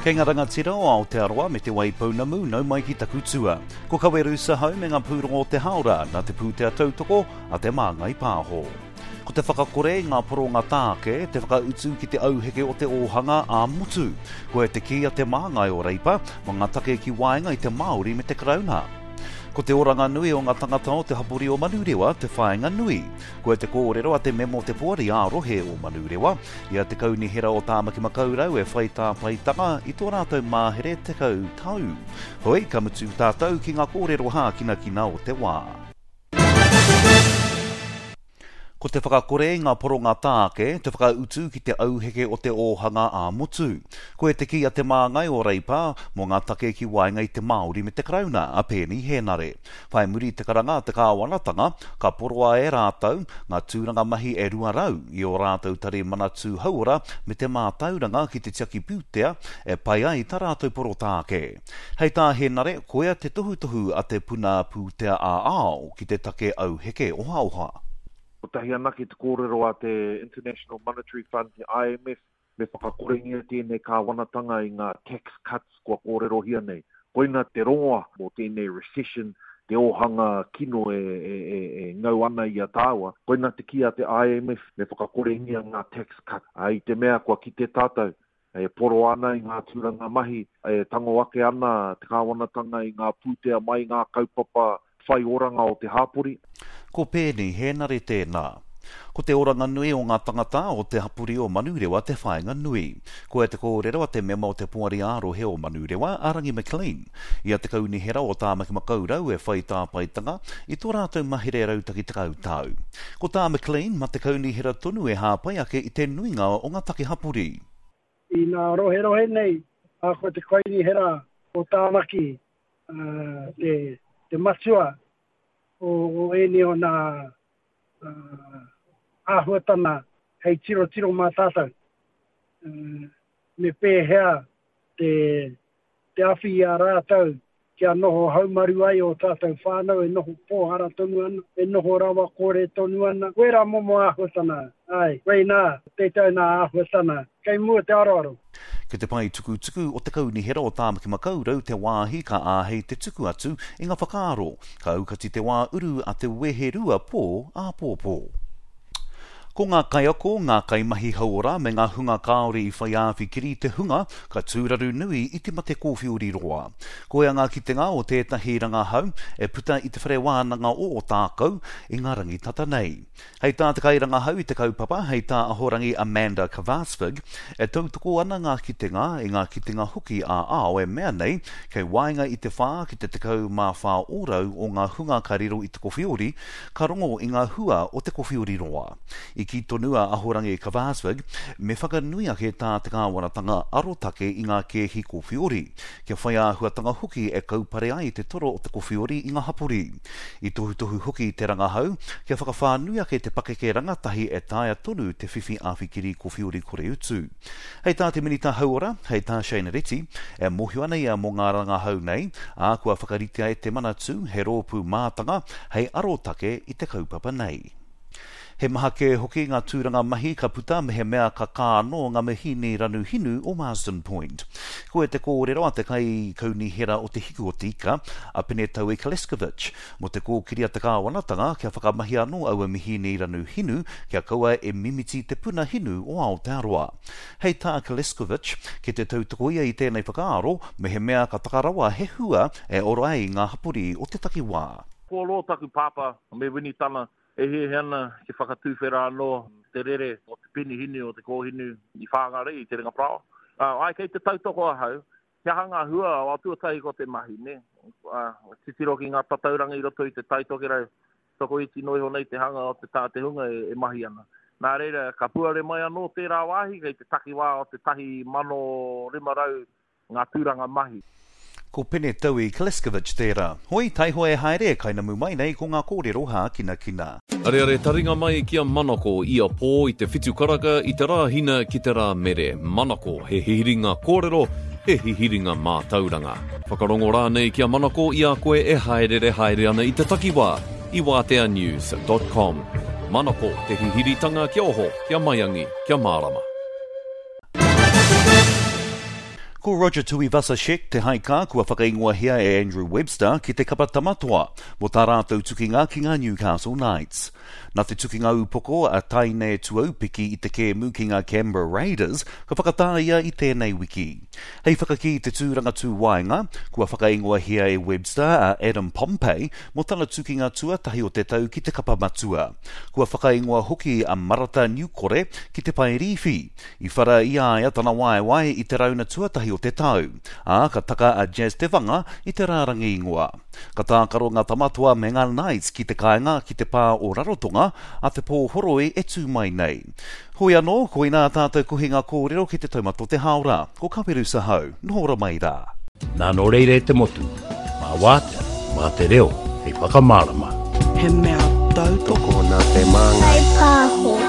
Kei ngā rangatira o Aotearoa me Te Waipounamu nau mai ki taku tua. Ko Kawerusa hau me ngā pūrongo o te haora nā te pūtea tautoko a Te Māngai Pāho. Ko te whakakore i ngā poronga tāke, te whakautu ki te auheke o te ōhanga ā-motu. Koia te kī a te māngai o Reipa mō ngā take ki waenga i te Māori me te Karauna. Ko te oranga nui o ngā tangata o te hapori o Manurewa te whāinga nui. Koia te kōrero a te mema o te Poari ā-Rohe o Manurewa, i a Te Kaunihera o Tāmaki Makaurau e whai tāpaetanga i tō rātou mahere 10 tau. Hoi, ka mutu tātou ki ngā kōrero hākinakina o te wā. Ko te whakakore i ngā poronga tāke, te whakautu ki te auheke o te ōhanga ā-motu. Koia te kī a te māngai o Reipa mō ngā take ki waenga i te Māori me te Karauna, a Peeni Hēnare. Whai muri i te karanga a te kāwanatanga, ka poroa e rātou ngā tūranga mahi e 200 i ō rātou tari Manatū Hauora me te Mātauranga ki te tiaki pūtea e pai ai tā rātou poro tāke. Hei tā Hēnare, koia te tohutohu a te puna pūtea ā-ao ki te take auheke ohaoha. Kotahi anake te kōrero a te International Monetary Fund, te IMF, me whakakorengia tēnei kāwanatanga i ngā tax cuts kua kōrerohia nei. Koina te rongoa mō tēnei recession, te ōhanga kino e ngau ana i a tāua. Koina te kī a te IMF, me whakakorengia ngā tax cut. I te mea kua kite tātou, E poro ana i ngā tūranga mahi, e tango ake ana te kāwanatanga i ngā pūtea mai i ngā kaupapa whai oranga o te hāpori. Ko Peeni Hēnare tēnā. Ko te oranga nui o ngā tangata o te hapori o Manurewa te whāinga nui. Koia te kōrero a te mema o te Poari ā-Rohe o Manurewa, a Rangi McLean, i a Te Kaunihera o Tāmaki Makaurau e whai tāpaetanga i tō rātou mahere rautaki 10 tau. Ko tā McLean, ma te kaunihera tonu e hāpai ake i te nuinga o ngā take hapori. I nā roherohe nei, ā, ko te kaunihera o Tāmaki te, te matua o, o ēnei o nā āhuatana hei tirotiro mā tātou. Me pēhea te, te awhi i a rātou kia noho haumaru ai ō tātou whānau e noho pōhara tonu ana, e noho rawa kore tonu ana. Wērā momo āhuatana, āe, koinā tētahi nā āhuatana kei mua te aroaro. Ki te pae tukutuku o te Kaunihera o Tāmaki Makaurau te wāhi ka āhei te tuku atu i ngā whakaaro, ka aukati te wā uru a te weherua pō āpōpō. Ko ngā kaiako, ngā kaimahi hauora me ngā hunga kāore i whai āwhikiri te hunga ka tūraru nui i te mate kōwhiori roa. Koia ngā kitenga o tētahi rangahau e puta i Te Whare Wānanga o Ōtākou i ngā rangi tata nei. Hei tā te kairangahau i te kaupapa, hei tā Ahorangi Amanda Kvarsvig, e tautoko ana ngā kitenga i ngā kitenga hoki ā-ao e mea nei kei waenga i te 4 ki te 14 ōrau o ngā hunga ka riro i te kowhiori Ka rongo i ngā hua o te kowhiori roa. I kī tonu a Ahorangi Kvarsvig, me whakanui ake tā te kāwanatanga arotake i ngā kēhi kowhiori, kia whai āhuatanga hoki e kaupare ai te toro o te kowhiori i ngā hapori. I tohutohu hoki te rangahau, kia whakawhānui ake te pakeke rangatahi e taea tonu te whiwhi āwhikiri kowhiori kore utu. Hei tā te Minita Hauora, hei tā Shane Reti, e mōhio ana ia mō ngā rangahau nei, ā, kua whakaritea e te Manatū he rōpū mātanga hei arotake i te kaupapa nei. He maha kē hoki ngā tūranga mahi ka puta mehemea ka kā anō ngā mihīni ranu hinu o Marsden Point. Koia te kōrero a te Kaikaunihera o Te Hiku o Te Ika, a Penetaui Kleskovic, mō te kōkiri a te kāwanatanga kia whakamahia anō aua mihīni ranu hinu kia kaua e mimiti te puna hinu o Aotearoa. Hei tā Kleskovic, ki te tautoko ia i tēnei whakaaro, mehemea ka taka rawa he hua e ora ai ngā hapori o te takiwā. Kua roa taku pāpā me Winitana e hiahia ana kia whakatuwhera anō te rere o te penihinu o te kōhinu i Whāngarei i Te Ringaparāoa. Āe kei te tautoko ahau He aha ngā hua o tuatahi ko te mahi, nē? Titiro ki ngā tatauranga i roto i te Tai Tokerau, tokoiti noa iho nei te hanga o te tā te hunga e mahi ana. Nā reira, ka puare mai anō tērā wāhi kei te takiwā o te 1,500 ngā tūranga mahi. Ko Pene Taui Kleskovic tērā. Hoi, taihoa e haere, kainamu mai nei ko ngā kōrero hākinakina. Areare taringa mai ki a Manako ia pō i te whitu karaka i te Rāhina ki te Rāmere. Manako, he hihiringa kōrero, he hihiringa mātauranga. Whakarongo rānei ki a Manako i a koe e hāereere haere ana i te takiwā i wāteanews dot com. Manako, te hihiritanga kia oho, kia maiangi, kia mārama. Ko Roger Tuivasa-Sheck te haikā kua whakaingoahia e Andrew Webster ki te kapa Tamatoa mō tā rātou tukinga ki ngā Newcastle Knights. Nā te tukinga upoko a Taine Tuaupiki i te kēmu ki ngā Canberra Raiders ka whakatā ia i tēnei wiki. Hei whakakī i te tūranga tū waenga, kua whakaingoahia e Webster a Adam Pompey mō tana tukinga tuatahi o te tau ki te kapa matua. Kua whakaingoa hoki a Marata Niukore ki te pae rīwhi. I whara i a ia tana waewae i te rauna tuatahi o te tau, ā, ka taka a Jazz Te Vanga i te rārangi ingoa. Ka tākaro ngā Tamatoa me ngā Knights ki te kāinga ki te pā o Rarotonga a te pō horoi e tū mai nei. Hoi anō, koinā tātou kohinga kōrero ki te taumata o te hāora. Ko Kawerusa hau, noho ora mai rā. Nā nō reira e te motu, mā wātea, mā te reo hei whakamārama. He mea tautoko. Tokona te māngai. Whai pāho.